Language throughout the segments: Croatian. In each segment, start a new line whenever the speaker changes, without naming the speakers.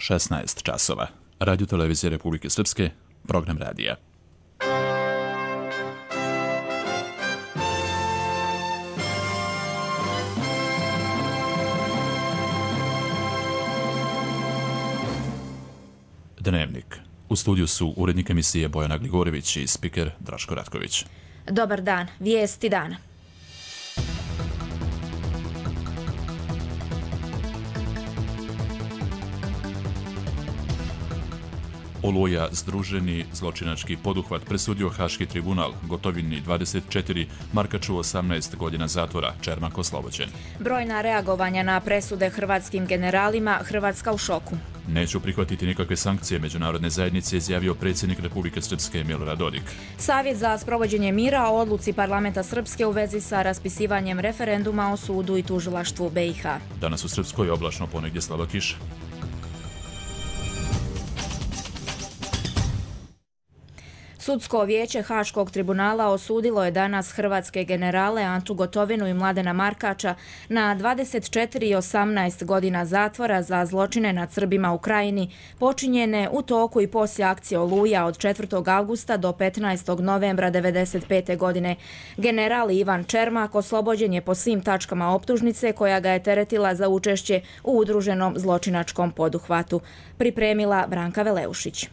16 časova. Radio Televizije Republike Srpske, program radija. Dnevnik. U studiju su urednik emisije Bojana Gligorević i spiker Draško Ratković.
Dobar dan, vijesti dana.
Oluja, združeni zločinački poduhvat, presudio Haški tribunal, Gotovini 24, Markaču 18 godina zatvora, Čermak oslobođen.
Brojna reagovanja na presude hrvatskim generalima, Hrvatska u šoku.
Neću prihvatiti nikakve sankcije međunarodne zajednice, izjavio predsjednik Republike Srpske Milorad Dodik.
Savjet za sprovođenje mira o odluci parlamenta Srpske u vezi sa raspisivanjem referenduma o sudu i tužilaštvu BiH.
Danas u Srpskoj oblačno, ponegdje slaba kiša.
Sudsko vijeće Haškog tribunala osudilo je danas hrvatske generale Antu Gotovinu i Mladena Markača na 24 i 18 godina zatvora za zločine nad Srbima u Krajini, počinjene u toku i poslije akcije Oluja od 4. avgusta do 15. novembra 1995. godine. General Ivan Čermak oslobođen je po svim tačkama optužnice koja ga je teretila za učešće u udruženom zločinačkom poduhvatu. Pripremila Branka Veleušić.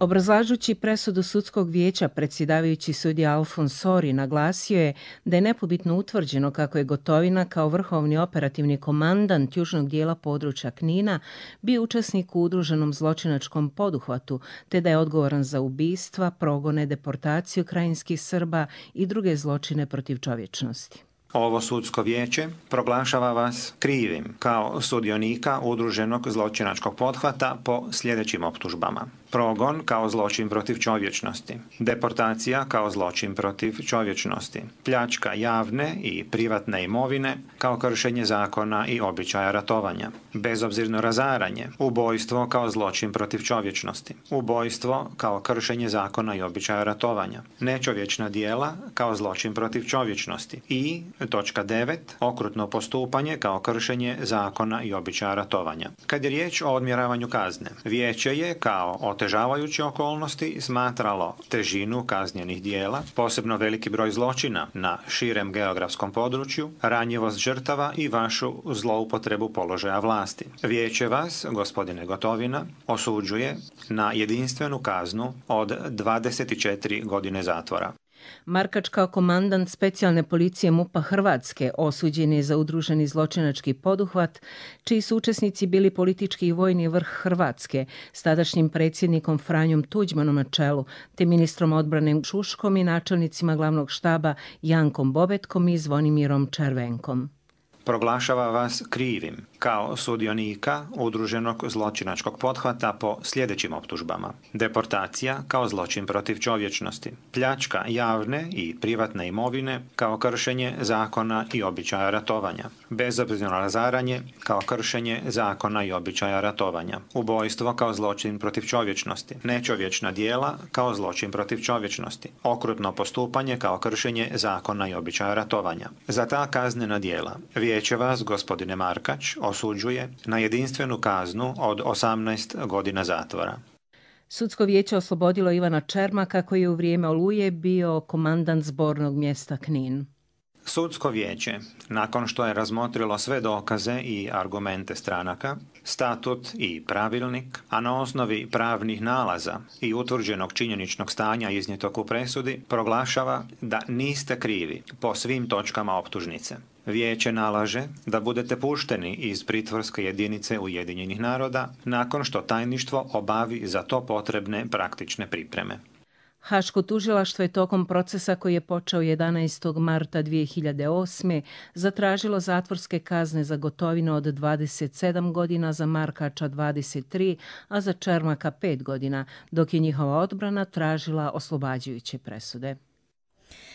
Obrazlažući presudu sudskog vijeća, predsjedavajući sudija Alfons Sori naglasio je da je nepobitno utvrđeno kako je Gotovina kao vrhovni operativni komandant južnog dijela područja Knina bio učesnik u udruženom zločinačkom poduhvatu, te da je odgovoran za ubistva, progone, deportaciju krajinskih Srba i druge zločine protiv čovječnosti.
Ovo sudsko vijeće proglašava vas krivim kao sudionika udruženog zločinačkog pothvata po sljedećim optužbama. Progon kao zločin protiv čovječnosti, deportacija kao zločin protiv čovječnosti, pljačka javne i privatne imovine kao kršenje zakona i običaja ratovanja, bezobzirno razaranje, ubojstvo kao zločin protiv čovječnosti, ubojstvo kao kršenje zakona i običaja ratovanja, nečovječna djela kao zločin protiv čovječnosti i točka 9. okrutno postupanje kao kršenje zakona i običaja ratovanja. Kad je riječ o odmjeravanju kazne, vijeće je kao otežavajuće okolnosti smatralo težinu kaznjenih dijela, posebno veliki broj zločina na širem geografskom području, ranjivost žrtava i vašu zloupotrebu položaja vlasti. Vijeće vas, gospodine Gotovina, osuđuje na jedinstvenu kaznu od 24 godine zatvora.
Markač kao komandant specijalne policije MUP-a Hrvatske osuđen je za udruženi zločinački poduhvat, čiji su učesnici bili politički i vojni vrh Hrvatske s tadašnjim predsjednikom Franjom Tuđmanom na čelu, te ministrom odbrane Šuškom i načelnicima glavnog štaba Jankom Bobetkom i Zvonimirom Červenkom.
Proglašava vas krivim kao sudionika udruženog zločinačkog pothvata po sljedećim optužbama. Deportacija kao zločin protiv čovječnosti, pljačka javne i privatne imovine kao kršenje zakona i običaja ratovanja, bezobzirno razaranje kao kršenje zakona i običaja ratovanja, ubojstvo kao zločin protiv čovječnosti, nečovječna djela kao zločin protiv čovječnosti, okrutno postupanje kao kršenje zakona i običaja ratovanja. Za ta kaznena djela vijeće vas, gospodine Markač, osuđuje na jedinstvenu kaznu od 18 godina zatvora.
Sudsko vijeće oslobodilo Ivana Čermaka koji je u vrijeme Oluje bio komandant zbornog mjesta Knin.
Sudsko vijeće, nakon što je razmotrilo sve dokaze i argumente stranaka, statut i pravilnik, a na osnovi pravnih nalaza i utvrđenog činjeničnog stanja iznijetog u presudi, proglašava da niste krivi po svim točkama optužnice. Vijeće nalaže da budete pušteni iz pritvorske jedinice Ujedinjenih naroda nakon što tajništvo obavi za to potrebne praktične pripreme.
Haško tužilaštvo je tokom procesa koji je počeo 11. marta 2008. zatražilo zatvorske kazne za Gotovinu od 27 godina, za Markača 23, a za Čermaka 5 godina, dok je njihova odbrana tražila oslobađajuće presude.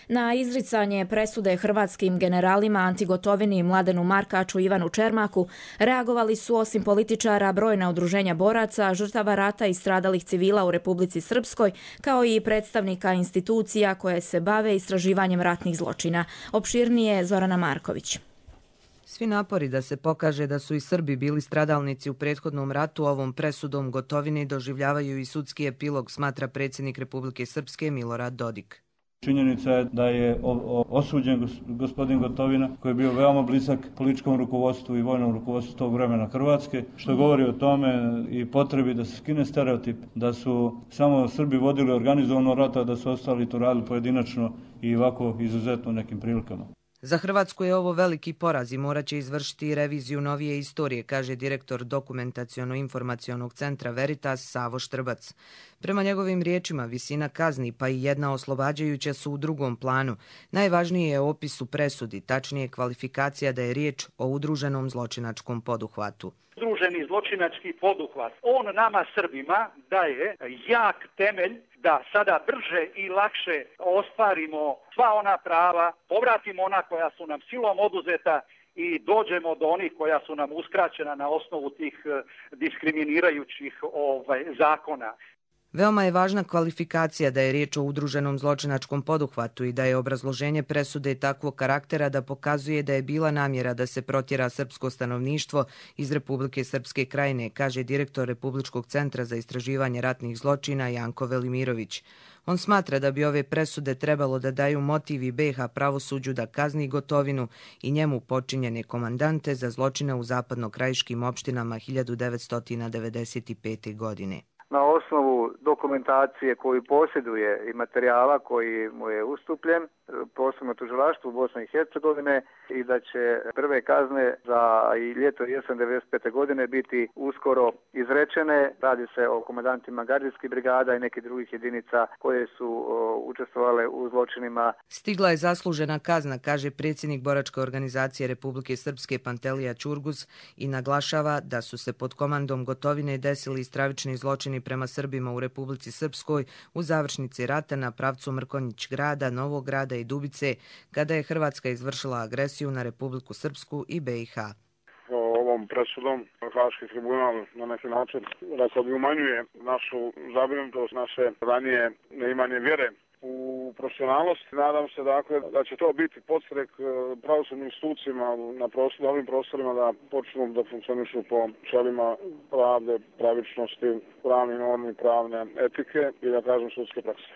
Na izricanje presude hrvatskim generalima Anti Gotovini i Mladenu Markaču i Ivanu Čermaku reagovali su osim političara brojna udruženja boraca, žrtava rata i stradalih civila u Republici Srpskoj, kao i predstavnika institucija koje se bave istraživanjem ratnih zločina. Opširnije Zorana Marković.
Svi napori da se pokaže da su i Srbi bili stradalnici u prethodnom ratu ovom presudom Gotovini doživljavaju i sudski epilog, smatra predsjednik Republike Srpske Milorad Dodik.
Činjenica je da je osuđen gospodin Gotovina, koji je bio veoma blizak političkom rukovodstvu i vojnom rukovodstvu tog vremena Hrvatske, što govori o tome i potrebi da se skine stereotip, da su samo Srbi vodili organizovano rata, da su ostali to radili pojedinačno i ovako izuzetno u nekim prilikama.
Za Hrvatsku je ovo veliki poraz i morat će izvršiti reviziju novije istorije, kaže direktor Dokumentaciono-informacionog centra Veritas Savo Štrbac. Prema njegovim riječima, visina kazni pa i jedna oslobađajuća su u drugom planu. Najvažnije je opis u presudi, tačnije kvalifikacija da je riječ o udruženom zločinačkom poduhvatu.
Udruženi zločinački poduhvat, on nama Srbima daje jak temelj da sada brže i lakše ostvarimo sva ona prava, povratimo ona koja su nam silom oduzeta i dođemo do onih koja su nam uskraćena na osnovu tih diskriminirajućih zakona.
Veoma je važna kvalifikacija da je riječ o udruženom zločinačkom poduhvatu i da je obrazloženje presude takvog karaktera da pokazuje da je bila namjera da se protjera srpsko stanovništvo iz Republike Srpske Krajine, kaže direktor Republičkog centra za istraživanje ratnih zločina Janko Velimirović. On smatra da bi ove presude trebalo da daju motiv i BiH pravosuđu da kazni Gotovinu i njemu počinjene komandante za zločine u zapadno-krajiškim opštinama 1995. godine.
Na osnovu dokumentacije koju posjeduje i materijala koji mu je ustupljen, posebno tužilaštvu Bosne i Hercegovine, i da će prve kazne za i ljeto i jesen 1995. godine biti uskoro izrečene. Radi se o komandantima gardijskih brigada i nekih drugih jedinica koje su učestvovale u zločinima.
Stigla je zaslužena kazna, kaže predsjednik boračke organizacije Republike Srpske Pantelija Ćurguz i naglašava da su se pod komandom Gotovine desili stravični zločini prema Srbima u Republici Srpskoj u završnici rata na pravcu Mrkonjić grada, Novog grada i Dubice, kada je Hrvatska izvršila agresiju na Republiku Srpsku i BiH.
Ovom presudom Haški tribunal na neki način, rekao bi, umanjuje našu zabrinutost, naše ranije neimanje vjere u profesionalnost. Nadam se dakle da će to biti podstrek pravosudnim institucijama na ovim prostorima da počnu da funkcionišu po načelima pravde, pravičnosti, pravnih normi, pravne etike i da kažem sudske prakse.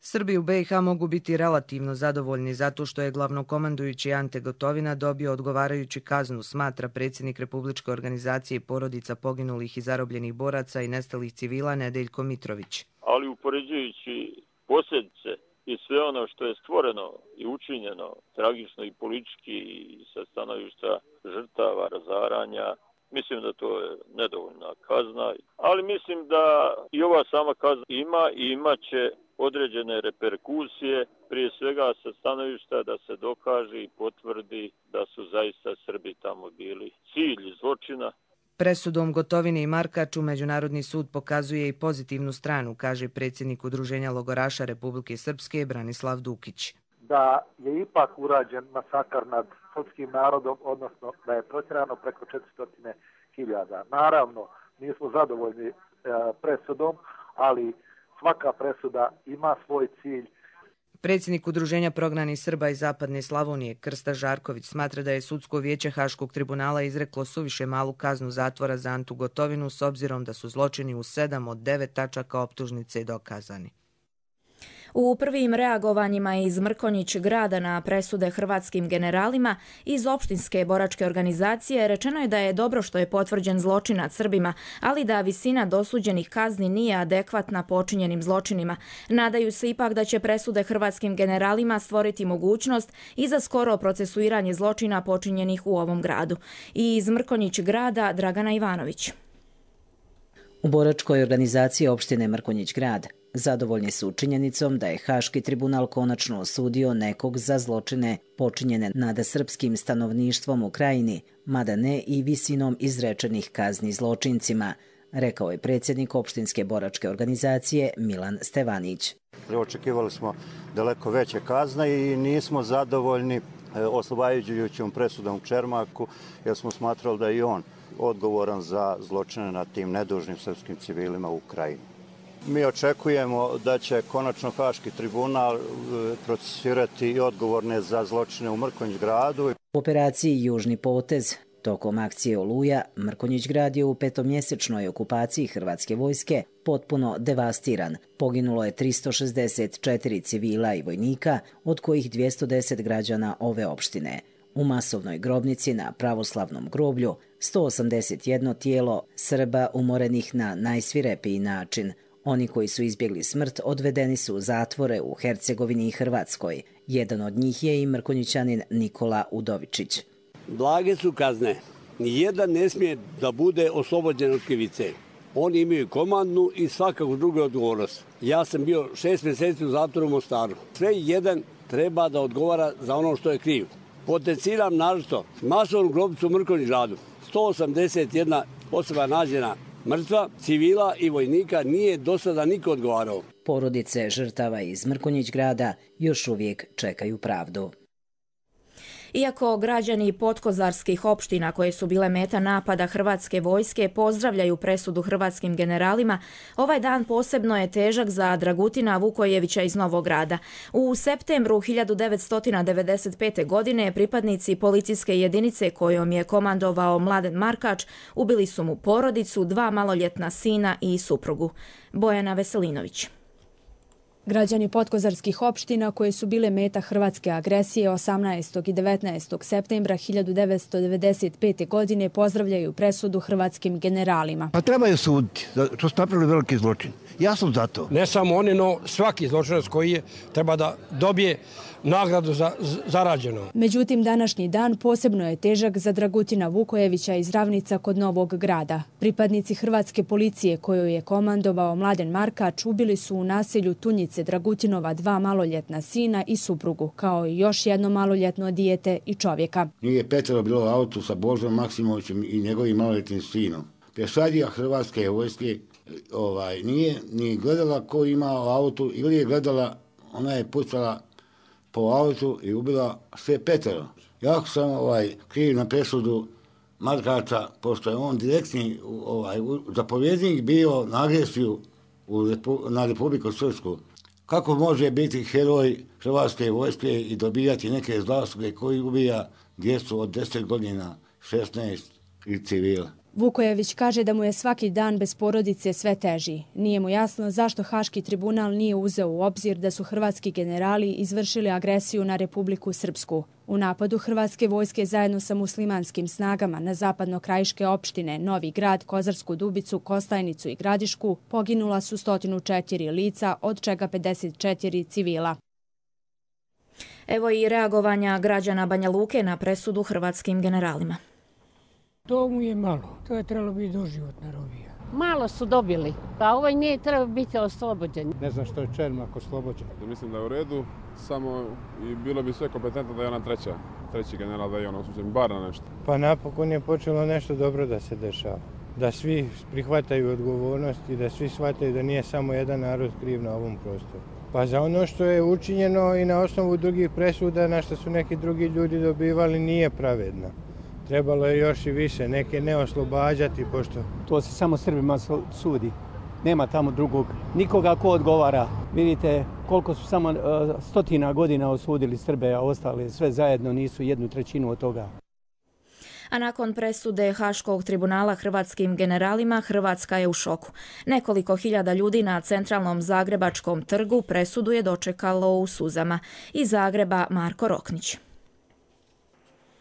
Srbi u BiH mogu biti relativno zadovoljni zato što je glavnokomandujući Ante Gotovina dobio odgovarajuću kaznu, smatra predsjednik Republičke organizacije porodica poginulih i zarobljenih boraca i nestalih civila Nedeljko Mitrović.
Ali upoređujući posljedice i sve ono što je stvoreno i učinjeno tragično i politički i sa stanovišta žrtava, razaranja, mislim da to je nedovoljna kazna, ali mislim da i ova sama kazna ima i imaće određene reperkusije, prije svega sa stanovišta da se dokaže i potvrdi da su zaista Srbi tamo bili cilj zločina.
Presudom Gotovine i Markaču Međunarodni sud pokazuje i pozitivnu stranu, kaže predsjednik Udruženja logoraša Republike Srpske Branislav Dukić.
Da je ipak urađen masakar nad srpskim narodom, odnosno da je protjerano preko 400.000. Naravno, nismo zadovoljni presudom, ali svaka presuda ima svoj cilj.
Predsjednik Udruženja prognanih Srba iz Zapadne Slavonije Krsta Žarković smatra da je sudsko vijeće Haškog tribunala izreklo suviše malu kaznu zatvora za Antu Gotovinu s obzirom da su zločini u 7 od 9 tačaka optužnice dokazani.
U prvim reagovanjima iz Mrkonjić grada na presude hrvatskim generalima iz opštinske boračke organizacije rečeno je da je dobro što je potvrđen zločin nad Srbima, ali da visina dosuđenih kazni nije adekvatna počinjenim zločinima. Nadaju se ipak da će presude hrvatskim generalima stvoriti mogućnost i za skoro procesuiranje zločina počinjenih u ovom gradu. I iz Mrkonjić grada Dragana Ivanović.
U boračkoj organizaciji opštine Mrkonjić grad zadovoljni su činjenicom da je Haški tribunal konačno osudio nekog za zločine počinjene nad srpskim stanovništvom u krajini, mada ne i visinom izrečenih kazni zločincima, rekao je predsjednik opštinske boračke organizacije Milan Stevanić.
Očekivali smo daleko veće kazne i nismo zadovoljni oslobađajućom presudom u Čermaku, jer smo smatrali da je i on odgovoran za zločine nad tim nedužnim srpskim civilima u Ukrajini. Mi očekujemo da će konačno Haški tribunal procesuirati i odgovorne za zločine u Mrkonjić gradu.
U operaciji Južni potez tokom akcije Oluja, Mrkonjić grad je u petomjesečnoj okupaciji hrvatske vojske potpuno devastiran. Poginulo je 364 civila i vojnika, od kojih 210 građana ove opštine. U masovnoj grobnici na pravoslavnom groblju 181 tijelo Srba umorenih na najsvirepiji način. Oni koji su izbjegli smrt odvedeni su u zatvore u Hercegovini i Hrvatskoj. Jedan od njih je i Mrkonjićanin Nikola Udovičić.
Blage su kazne. Nijedan ne smije da bude oslobođen od krivice. Oni imaju komandnu i svakako drugu odgovornost. Ja sam bio 6 mjeseci u zatvoru u Mostaru. Sve jedan treba da odgovara za ono što je kriv. Potenciram naročito masovnu grobnicu u Mrkonjić gradu. 181 osoba nađena mrtva, civila i vojnika, nije do sada niko odgovarao.
Porodice žrtava iz Mrkonjić grada još uvijek čekaju pravdu.
Iako građani podkozarskih opština koje su bile meta napada hrvatske vojske pozdravljaju presudu hrvatskim generalima, ovaj dan posebno je težak za Dragutina Vukojevića iz Novog Grada. U septembru 1995. godine pripadnici policijske jedinice kojom je komandovao Mladen Markač ubili su mu porodicu, 2 maloljetna sina i suprugu. Bojana Veselinović.
Građani podkozarskih opština koje su bile meta hrvatske agresije 18. i 19. septembra 1995. godine pozdravljaju presudu hrvatskim generalima.
Pa trebaju suditi, što su napravili veliki zločin. Ja sam za to.
Ne samo oni, no svaki zločinac koji je treba da dobije nagradu za zarađeno.
Međutim, današnji dan posebno je težak za Dragutina Vukojevića iz Ravnica kod Novog Grada. Pripadnici hrvatske policije koju je komandovao Mladen Markač ubili su u naselju Tunjice Dragutinova 2 maloljetna sina i suprugu, kao i još jedno maloljetno dijete i čovjeka.
Nije petero bilo u autu sa Božom Maksimovićem i njegovim maloljetnim sinom. Pješadija hrvatske vojske nije ni gledala ko ima u autu ili je gledala, ona je pucala po autu i ubila sve petero. Jako sam kriv na presudu Markača, pošto je on direktni zapovjednik bio na agresiju na Republiku Srpsku. Kako može biti heroj hrvatske vojske i dobijati neke zasluge koji ubija djecu od 10 godina, 16 i civila?
Vukojević kaže da mu je svaki dan bez porodice sve teži. Nije mu jasno zašto Haški tribunal nije uzeo u obzir da su hrvatski generali izvršili agresiju na Republiku Srpsku. U napadu hrvatske vojske zajedno sa muslimanskim snagama na zapadno-krajiške opštine Novi Grad, Kozarsku Dubicu, Kostajnicu i Gradišku poginula su 104 lica, od čega 54 civila.
Evo i reagovanja građana Banja Luke na presudu hrvatskim generalima.
To mu je malo, to je trebalo biti doživotna robija.
Malo su dobili, pa ovaj nije trebao biti oslobođen.
Ne znam što je Čermak oslobođen. Mislim da je u redu, samo i bilo bi sve kompetentno da je ona treći general, da je on osuđen, bar na nešto.
Pa napokon je počelo nešto dobro da se dešava. Da svi prihvataju odgovornost i da svi shvataju da nije samo jedan narod kriv na ovom prostoru. Pa za ono što je učinjeno i na osnovu drugih presuda na što su neki drugi ljudi dobivali nije pravedno. Trebalo je još i više, neke ne oslobađati, pošto...
To se samo Srbima sudi. Nema tamo drugog. Nikoga ko odgovara. Vidite koliko su samo stotina godina osudili Srbe, a ostali sve zajedno nisu 1/3 od toga.
A nakon presude Haškog tribunala hrvatskim generalima, Hrvatska je u šoku. Nekoliko hiljada ljudi na centralnom Zagrebačkom trgu presudu je dočekalo u suzama. Iz Zagreba Marko Roknić.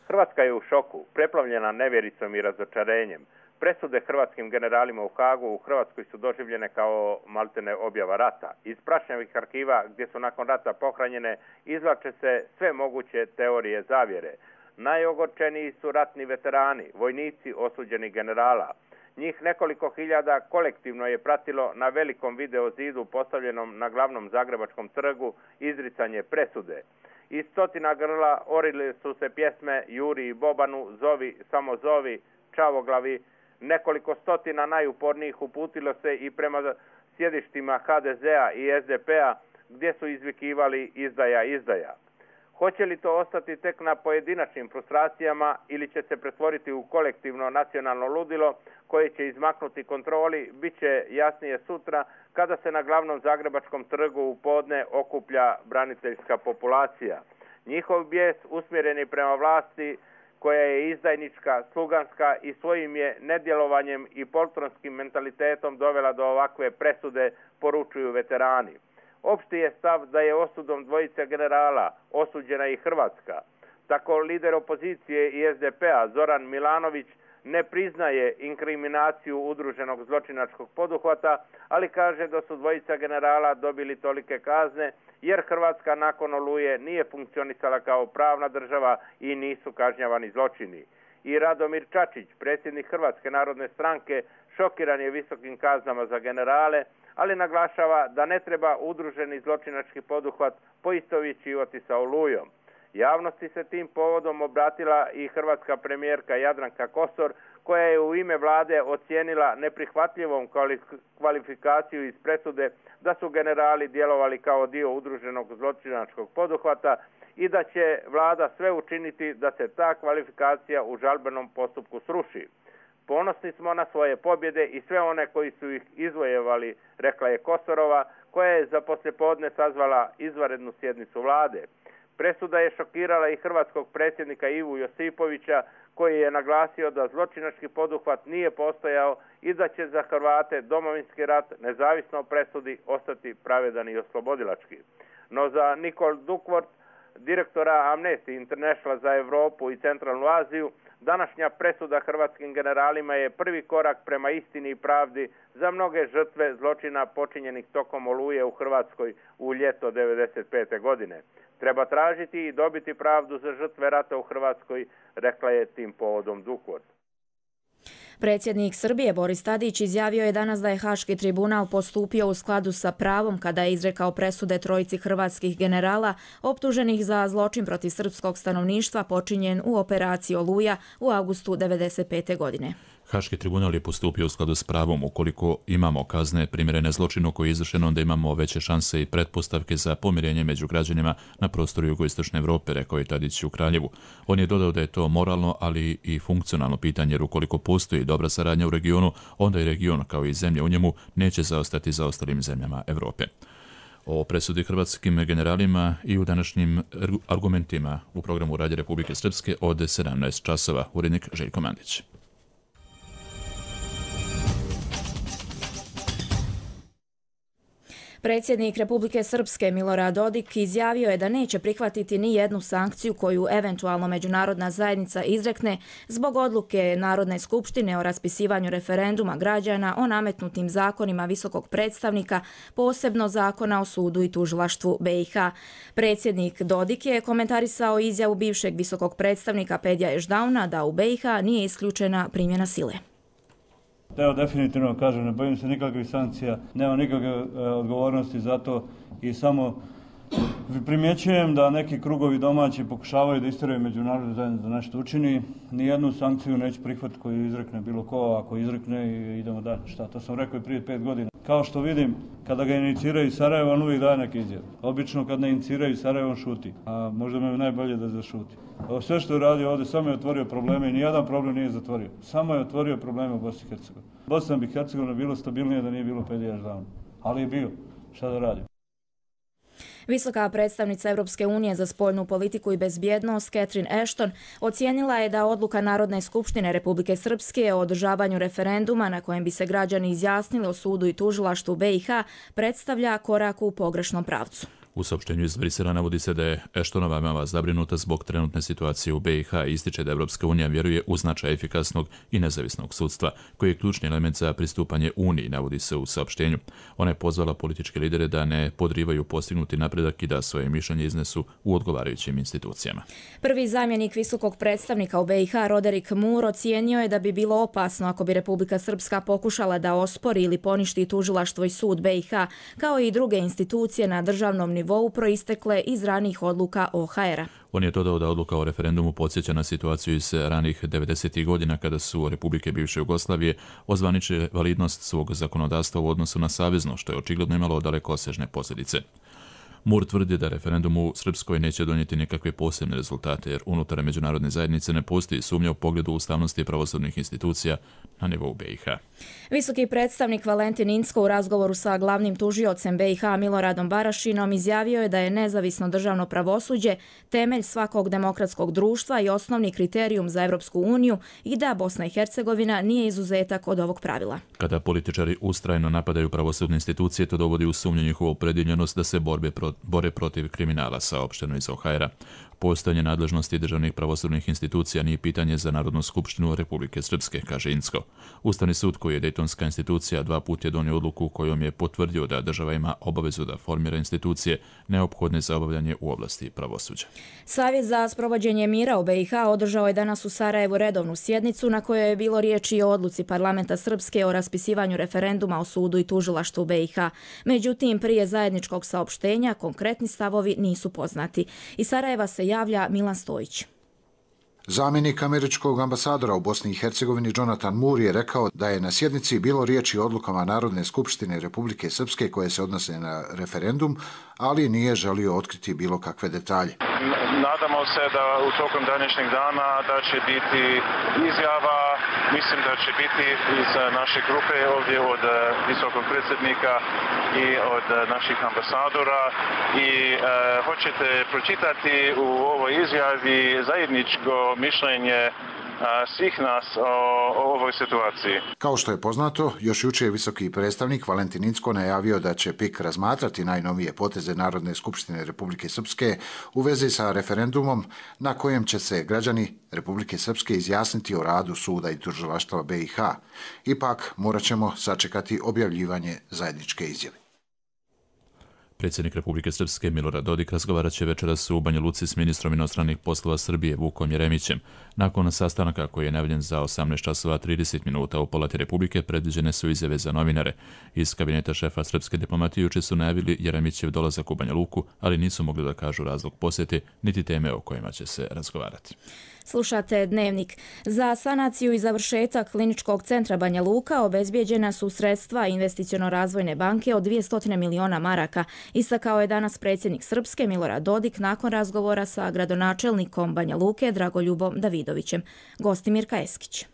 Hrvatska je u šoku, preplavljena nevjericom i razočarenjem. Presude hrvatskim generalima u Hagu u Hrvatskoj su doživljene kao maltene objava rata. Iz prašnjavih arhiva gdje su nakon rata pohranjene izvlače se sve moguće teorije zavjere. Najogorčeniji su ratni veterani, vojnici osuđenih generala. Njih nekoliko hiljada kolektivno je pratilo na velikom video zidu postavljenom na glavnom Zagrebačkom trgu izricanje presude. Iz stotina grla orili su se pjesme Juri i Bobanu, Zovi, samo zovi, Čavoglavi. Nekoliko stotina najupornijih uputilo se i prema sjedištima HDZ-a i SDP-a gdje su izvikivali izdaja, izdaja. Hoće li to ostati tek na pojedinačnim frustracijama ili će se pretvoriti u kolektivno nacionalno ludilo koje će izmaknuti kontroli, bit će jasnije sutra kada se na glavnom zagrebačkom trgu u podne okuplja braniteljska populacija. Njihov bijes usmjeren je prema vlasti koja je izdajnička, sluganska i svojim je nedjelovanjem i poltronskim mentalitetom dovela do ovakve presude, poručuju veterani. Opšti je stav da je osudom dvojice generala osuđena i Hrvatska. Tako lider opozicije i SDP-a Zoran Milanović ne priznaje inkriminaciju udruženog zločinačkog poduhvata, ali kaže da su dvojica generala dobili tolike kazne jer Hrvatska nakon Oluje nije funkcionisala kao pravna država i nisu kažnjavani zločini. I Radomir Čačić, predsjednik Hrvatske narodne stranke, šokiran je visokim kaznama za generale, ali naglašava da ne treba udruženi zločinački poduhvat poistovjećivati sa Olujom. Javnosti se tim povodom obratila i hrvatska premijerka Jadranka Kosor, koja je u ime vlade ocijenila neprihvatljivom kvalifikaciju iz presude da su generali djelovali kao dio udruženog zločinačkog poduhvata i da će vlada sve učiniti da se ta kvalifikacija u žalbenom postupku sruši. Ponosni smo na svoje pobjede i sve one koji su ih izvojevali, rekla je Kosorova, koja je za poslijepodne sazvala izvanrednu sjednicu vlade. Presuda je šokirala i hrvatskog predsjednika Ivu Josipovića, koji je naglasio da zločinački poduhvat nije postojao i da će za Hrvate Domovinski rat, nezavisno o presudi, ostati pravedan i oslobodilački. No za Nicole Duckworth, direktora Amnesty International za Europu i Centralnu Aziju, današnja presuda hrvatskim generalima je prvi korak prema istini i pravdi za mnoge žrtve zločina počinjenih tokom Oluje u Hrvatskoj u ljeto 1995. godine. Treba tražiti i dobiti pravdu za žrtve rata u Hrvatskoj, rekla je tim povodom Duckworth.
Predsjednik Srbije Boris Tadić izjavio je danas da je Haški tribunal postupio u skladu sa pravom kada je izrekao presude trojici hrvatskih generala optuženih za zločin protiv srpskog stanovništva počinjen u operaciji Oluja u avgustu 1995. godine.
Haški tribunal je postupio u skladu s pravom. Ukoliko imamo kazne primjerene zločinu koji je izvršen, onda imamo veće šanse i pretpostavke za pomirenje među građanima na prostoru jugoistočne Evrope, rekao je Tadić u Kraljevu. On je dodao da je to moralno, ali i funkcionalno pitanje, jer ukoliko postoji dobra saradnja u regionu, onda i region, kao i zemlje u njemu, neće zaostati za ostalim zemljama Evrope. O presudi hrvatskim generalima i u današnjim argumentima u programu Radija Republike Srpske od 17 časova. Urednik Željko Mandić.
Predsjednik Republike Srpske Milorad Dodik izjavio je da neće prihvatiti ni jednu sankciju koju eventualno međunarodna zajednica izrekne zbog odluke Narodne skupštine o raspisivanju referenduma građana o nametnutim zakonima visokog predstavnika, posebno zakona o sudu i tužilaštvu BiH. Predsjednik Dodik je komentarisao izjavu bivšeg visokog predstavnika Pedija Ešdauna da u BiH nije isključena primjena sile.
Evo, definitivno kažem, ne bojim se nikakvih sankcija, nema nikakve odgovornosti za to i samo primjećujem da neki krugovi domaći pokušavaju da istjeraju međunarodnu zajednicu da nešto učini. Nijednu sankciju neće prihvatiti koju izrekne bilo ko, ako izrekne idemo dalje. Šta, to sam rekao i prije 5 godina. Kao što vidim, kada ga iniciraju iz Sarajeva, on uvijek daje neke izjave. Obično kad ne iniciraju iz Sarajeva, on šuti, a možda me najbolje da zašuti. Sve što je radio ovdje, samo je otvorio probleme i nijedan problem nije zatvorio. Samo je otvorio probleme u Bosni i Hercegovini. Bosna bi Hercegovina bilo stabilnije da nije bilo Pedija Ešdauna. Ali je bio. Šta da radi?
Visoka predstavnica Europske unije za spoljnu politiku i bezbjednost Catherine Ashton ocijenila je da odluka Narodne skupštine Republike Srpske o održavanju referenduma na kojem bi se građani izjasnili o sudu i tužilaštvu BiH predstavlja korak u pogrešnom pravcu.
U saopštenju iz Brisela navodi se da je Ashtonova veoma zabrinuta zbog trenutne situacije u BiH i ističe da Evropska unija vjeruje u značaj efikasnog i nezavisnog sudstva, koji je ključni element za pristupanje Uniji, navodi se u saopštenju. Ona je pozvala političke lidere da ne podrivaju postignuti napredak i da svoje mišljenje iznesu u odgovarajućim institucijama.
Prvi zamjenik visokog predstavnika u BiH, Roderick Moore, ocijenio je da bi bilo opasno ako bi Republika Srpska pokušala da ospori ili poništi tužilaštvo i sud BiH, kao i druge institucije na državnom nivou proistekle iz ranijih odluka OHR-a.
On je dodao da odluka o referendumu podsjeća na situaciju iz ranih 90. godina kada su republike bivše Jugoslavije ozvaničile validnost svog zakonodavstva u odnosu na savezno, što je očigledno imalo dalekosežne posljedice. Mur tvrdi da referendum u Srpskoj neće donijeti nikakve posebne rezultate, jer unutar međunarodne zajednice ne postoji sumnja u pogledu ustavnosti pravosudnih institucija na nivou BiH.
Visoki predstavnik Valentin Incko u razgovoru sa glavnim tužiocem BiH Miloradom Barašinom izjavio je da je nezavisno državno pravosuđe temelj svakog demokratskog društva i osnovni kriterijum za Evropsku uniju i da Bosna i Hercegovina nije izuzetak od ovog pravila.
Kada političari ustrajno napadaju pravosudne institucije, to dovodi u sumnju njihovu opredjeljenost da se bore protiv kriminala, saopšteno iz OHR-a. Postojanje nadležnosti državnih pravosudnih institucija nije pitanje za Narodnu skupštinu Republike Srpske, kaže Incko. Ustavni sud, koji je dejtonska institucija, 2 puta je donio odluku kojom je potvrdio da država ima obavezu da formira institucije neophodne za obavljanje u oblasti pravosuđa.
Savjet za sprovođenje mira u BiH održao je danas u Sarajevu redovnu sjednicu na kojoj je bilo riječi o odluci parlamenta Srpske o raspisivanju referenduma o sudu i tužilaštvu BiH. Međutim, prije zajedničkog saopštenja konkretni stavovi nisu poznati. Iz Sarajeva se javlja Milan Stojić.
Zamjenik američkog ambasadora u Bosni i Hercegovini Jonathan Moore je rekao da je na sjednici bilo riječi o odlukama Narodne skupštine Republike Srpske koje se odnose na referendum, ali nije želio otkriti bilo kakve detalje.
Nadamo se da u tokom današnjeg dana da će biti izjava, mislim da će biti iz naše grupe ovdje od visokog predsjednika i od naših ambasadora i hoćete pročitati u ovoj izjavi zajedničko mišljenje svih nas o ovoj situaciji.
Kao što je poznato, još jučer je visoki predstavnik Valentin Incko najavio da će PIK razmatrati najnovije poteze Narodne skupštine Republike Srpske u vezi sa referendumom na kojem će se građani Republike Srpske izjasniti o radu suda i tužilaštva BiH. Ipak morat ćemo sačekati objavljivanje zajedničke izjave.
Predsjednik Republike Srpske Milorad Dodik razgovarat će večeras u Banja Luci s ministrom inostranih poslova Srbije Vukom Jeremićem. Nakon sastanaka koji je najavljen za 18 časova 30 minuta u Palati Republike predviđene su izjave za novinare. Iz kabineta šefa srpske diplomatije juče su najavili Jeremićev dolazak u Banja Luku, ali nisu mogli da kažu razlog posjete niti teme o kojima će se razgovarati.
Slušate Dnevnik. Za sanaciju i završetak kliničkog centra Banja Luka obezbijeđena su sredstva Investiciono-razvojne banke od 200 miliona maraka, istakao je danas predsjednik Srpske Milorad Dodik nakon razgovora sa gradonačelnikom Banja Luke Dragoljubom Davidovićem. Gosti Mirka Eskić.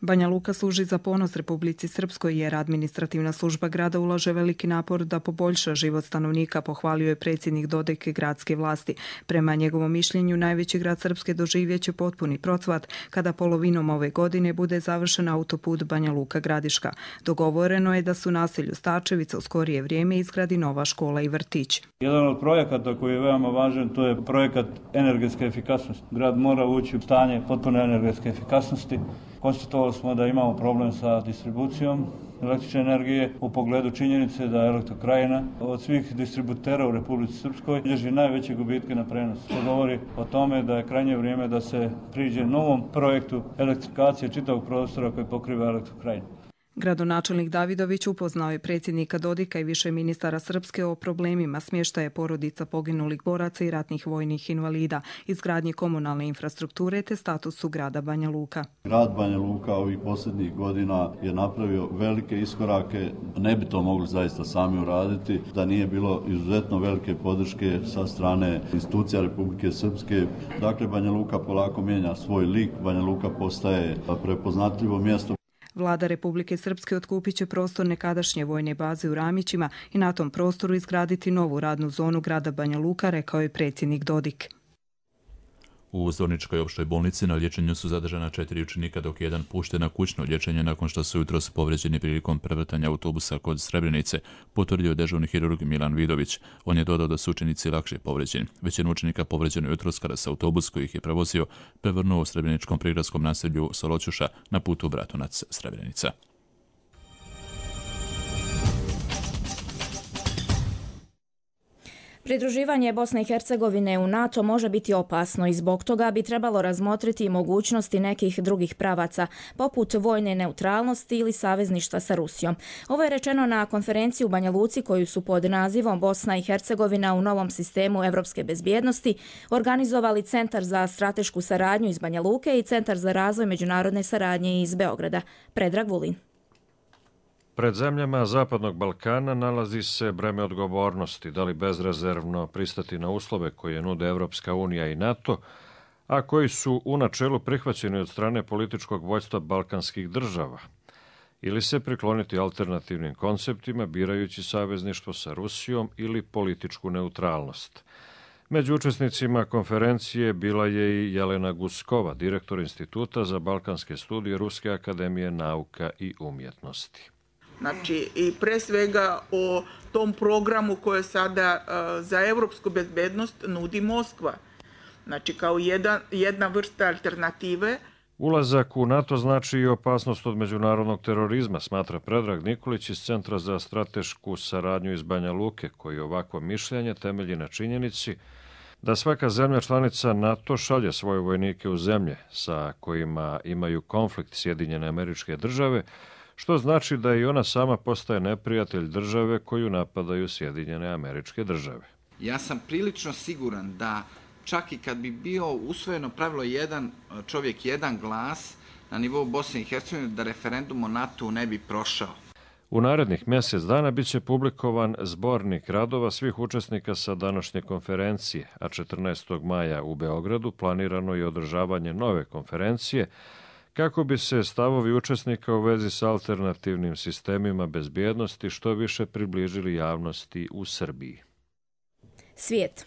Banja Luka služi za ponos Republici Srpskoj jer administrativna služba grada ulaže veliki napor da poboljša život stanovnika, pohvalio je predsjednik Dodik gradske vlasti. Prema njegovom mišljenju, najveći grad Srpske doživjeće potpuni procvat kada polovinom ove godine bude završen autoput Banja Luka-Gradiška. Dogovoreno je da su naselju Stačevica u skorije vrijeme izgradi nova škola i vrtić.
Jedan od projekata koji je veoma važan, to je projekat energetske efikasnosti. Grad mora ući u stanje potpune energetske efikasnosti. Konstatovali smo da imamo problem sa distribucijom električne energije u pogledu činjenice da Elektrokrajina od svih distributera u Republici Srpskoj bilježi najveće gubitke na prenosu. To govori o tome da je krajnje vrijeme da se priđe novom projektu elektrifikacije čitavog prostora koji pokriva Elektrokrajinu.
Gradonačelnik Davidović upoznao je predsjednika Dodika i više ministara Srpske o problemima smještaja porodica poginulih boraca i ratnih vojnih invalida, izgradnje komunalne infrastrukture te statusu grada Banja Luka.
Grad Banja Luka ovih posljednjih godina je napravio velike iskorake, ne bi to mogli zaista sami uraditi, da nije bilo izuzetno velike podrške sa strane institucija Republike Srpske. Dakle, Banja Luka polako mijenja svoj lik, Banja Luka postaje prepoznatljivo mjesto.
Vlada Republike Srpske otkupit će prostor nekadašnje vojne baze u Ramićima i na tom prostoru izgraditi novu radnu zonu grada Banja Luka, rekao je predsjednik Dodik.
U Zvorničkoj opštoj bolnici na liječenju su zadržana 4 učenika, dok je jedan pušten na kućno liječenje nakon što su jutros povređeni prilikom prevrtanja autobusa kod Srebrenice, potvrdio dežurni hirurg Milan Vidović. On je dodao da su učenici lakše povređeni. Većina učenika povređeno je jutros kada se autobus koji ih je prevozio prevrnuo u srebreničkom prigradskom naselju Soloćuša na putu Bratunac-Srebrenica.
Pridruživanje Bosne i Hercegovine u NATO može biti opasno i zbog toga bi trebalo razmotriti mogućnosti nekih drugih pravaca, poput vojne neutralnosti ili savezništva sa Rusijom. Ovo je rečeno na konferenciji u Banja Luci koju su pod nazivom Bosna i Hercegovina u novom sistemu evropske bezbjednosti organizovali Centar za stratešku saradnju iz Banja Luke i Centar za razvoj međunarodne saradnje iz Beograda. Predrag Vulin.
Pred zemljama Zapadnog Balkana nalazi se breme odgovornosti, da li bezrezervno pristati na uslove koje nude Evropska unija i NATO, a koji su u načelu prihvaćeni od strane političkog vođstva balkanskih država, ili se prikloniti alternativnim konceptima birajući savezništvo sa Rusijom ili političku neutralnost. Među učesnicima konferencije bila je i Jelena Guskova, direktor Instituta za balkanske studije Ruske akademije nauka i umjetnosti.
Znači, i pre svega o tom programu koje sada za evropsku bezbednost nudi Moskva. Znači, kao jedna vrsta alternative.
Ulazak u NATO znači i opasnost od međunarodnog terorizma, smatra Predrag Nikolić iz Centra za stratešku saradnju iz Banja Luke, koji ovakvo mišljenje temelji na činjenici da svaka zemlja članica NATO šalje svoje vojnike u zemlje sa kojima imaju konflikt Sjedinjene Američke Države, što znači da i ona sama postaje neprijatelj države koju napadaju Sjedinjene Američke Države.
Ja sam prilično siguran da čak i kad bi bio usvojeno pravilo jedan čovjek, jedan glas na nivou Bosne i Hercegovine, da referendum o NATO ne bi prošao.
U narednih mjesec dana bit će publikovan zbornik radova svih učesnika sa današnje konferencije, a 14. maja u Beogradu planirano je održavanje nove konferencije kako bi se stavovi učesnika u vezi s alternativnim sistemima bezbjednosti što više približili javnosti u Srbiji.
Svijet.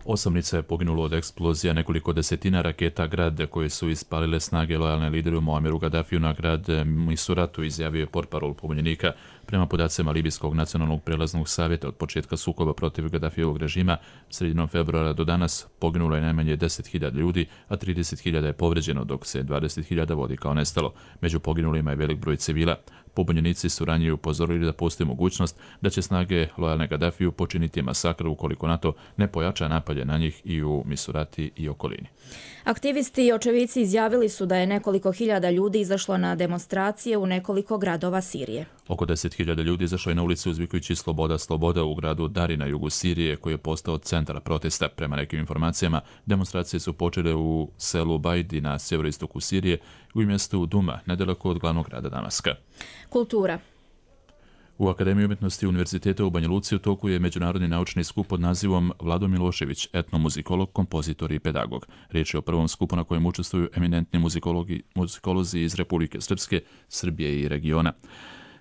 8 lica je poginulo od eksplozija nekoliko desetina raketa grad koje su ispalile snage lojalne lideru Muammeru Gaddafiju na grad Misuratu, izjavio je portparol pobunjenika. Prema podacima Libijskog nacionalnog prelaznog savjeta od početka sukoba protiv Gaddafijevog režima, sredinom februara do danas poginulo je najmanje 10.000 ljudi, a 30.000 je povređeno, dok se 20.000 vodi kao nestalo. Među poginulima je velik broj civila. Pobunjenici su ranije upozorili da postoji mogućnost da će snage lojalne Gaddafiju počiniti masakr ukoliko NATO ne pojača napade na njih i u Misurati i okolini.
Aktivisti i očevici izjavili su da je nekoliko hiljada ljudi izašlo na demonstracije u nekoliko gradova Sirije.
Oko 10.000 ljudi izašlo je na ulicu uzvikujući sloboda, sloboda u gradu Dari na jugu Sirije, koji je postao centar protesta. Prema nekim informacijama, demonstracije su počele u selu Bajdi na sjeveroistoku Sirije i u mjestu Duma, nedaleko od glavnog grada Damaska.
Kultura.
U Akademiji umjetnosti Univerziteta u Banja Luci u toku je međunarodni naučni skup pod nazivom Vlado Milošević, etnomuzikolog, kompozitor i pedagog. Riječ je o prvom skupu na kojem učestvuju eminentni muzikolozi iz Republike Srpske, Srbije i regiona.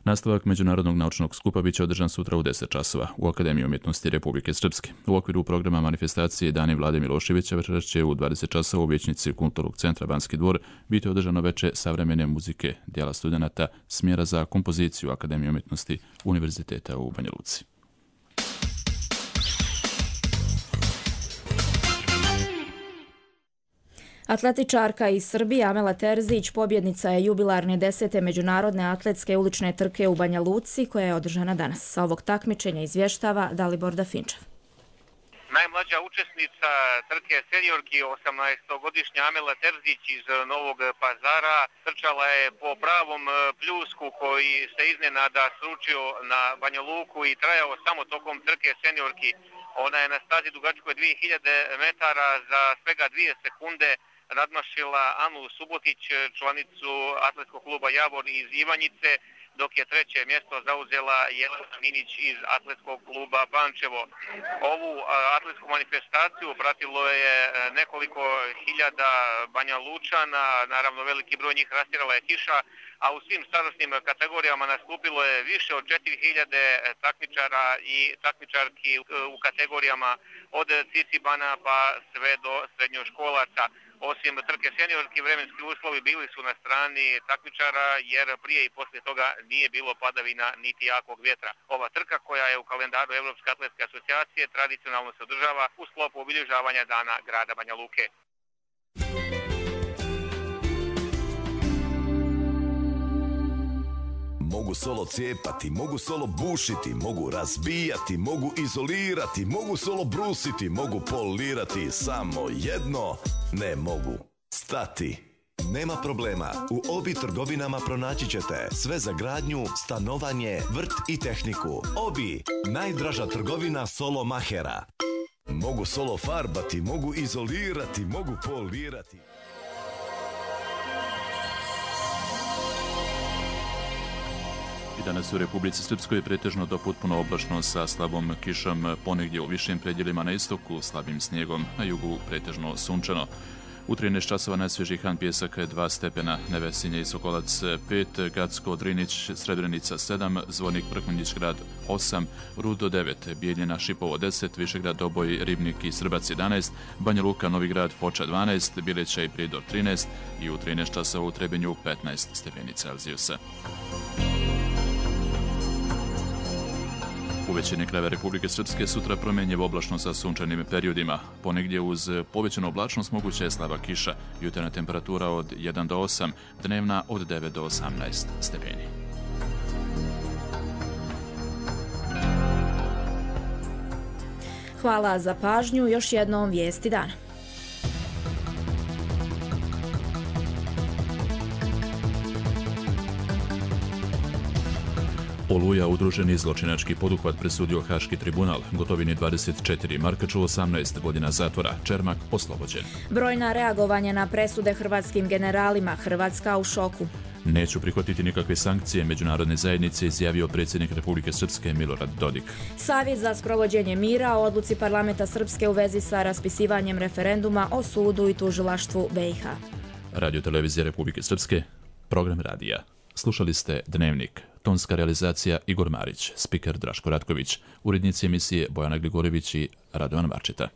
Nastavak međunarodnog naučnog skupa biće održan sutra u 10 časova u Akademiji umjetnosti Republike Srpske. U okviru programa manifestacije Dani Vlade Miloševića večeras će u 20 časova u vijećnici Kulturnog centra Banski dvor biti održano veče savremene muzike dijela studenata smjera za kompoziciju Akademije umjetnosti Univerziteta u Banja Luci.
Atletičarka iz Srbije Amela Terzić pobjednica je jubilarne 10. međunarodne atletske ulične trke u Banja Luci koja je održana danas. Sa ovog takmičenja izvještava Dalibor Dafinčev.
Najmlađa učesnica trke seniorki, 18-godišnja Amela Terzić iz Novog Pazara, trčala je po pravom pljusku koji se iznenada sručio na Banja Luku i trajao samo tokom trke seniorki. Ona je na stazi dugačkoj 2000 metara za svega 2 sekunde nadmašila Anu Subotić, članicu atletskog kluba Javor iz Ivanjice, dok je 3. mjesto zauzela Jelena Minić iz atletskog kluba Pančevo. Ovu atletsku manifestaciju pratilo je nekoliko hiljada Banja Lučana, naravno veliki broj njih rastirala je kiša, a u svim starosnim kategorijama nastupilo je više od 4000 takmičara i takmičarki u kategorijama od cicibana pa sve do srednjoškolaca. Osim trke seniorki, vremenski uslovi bili su na strani takmičara jer prije i poslije toga nije bilo padavina niti jakog vjetra. Ova trka koja je u kalendaru Evropske atletske asocijacije tradicionalno se održava u sklopu obilježavanja dana grada Banja Luke.
Mogu solo cijepati, mogu solo bušiti, mogu razbijati, mogu izolirati, mogu solo brusiti, mogu polirati, samo jedno ne mogu stati. Nema problema, u Obi trgovinama pronaći ćete sve za gradnju, stanovanje, vrt i tehniku. Obi, najdraža trgovina solo mahera. Mogu solo farbati, mogu izolirati, mogu polirati.
Danas u Republici Srpskoj je pretežno do potpuno oblačno sa slabom kišom, ponegdje u višim predjelima na istoku, slabim snijegom, na jugu pretežno sunčano. U 13 časova najsvježiji Han Pjesak 2 stepena, Nevesinje i Sokolac 5, Gacko, Drinić, Srebrenica 7, Zvornik, Prkmanjić grad 8, Rudo 9, Bijeljina, Šipovo 10, Višegrad, Doboj, Ribnik i Srbac 11, Banja Luka, Novi grad, Foča 12, Bileća i Prijedor 13 i u 13 časova u Trebinju 15 stepeni Celzijusa. U većini krajeva Republike Srpske sutra promjenjivo oblačno sa sunčanim periodima. Ponegdje uz povećanu oblačnost moguća je slaba kiša, jutarnja temperatura od 1 do 8, dnevna od 9 do 18 stepeni.
Hvala za pažnju, još jednom vijesti dana.
Oluja, udruženi zločinački poduhvat, presudio Haški tribunal. Gotovini 24, Markaču 18 godina zatvora, Čermak oslobođen.
Brojna reagovanja na presude hrvatskim generalima, Hrvatska u šoku.
Neću prihvatiti nikakve sankcije međunarodne zajednice, izjavio predsjednik Republike Srpske Milorad Dodik.
Savjet za sprovođenje mira o odluci parlamenta Srpske u vezi sa raspisivanjem referenduma o sudu i tužilaštvu BiH.
Radio televizija Republike Srpske, program radija. Slušali ste Dnevnik. Tonska realizacija Igor Marić, spiker Draško Ratković, urednici emisije Bojana Gligorević i Radovan Marčeta.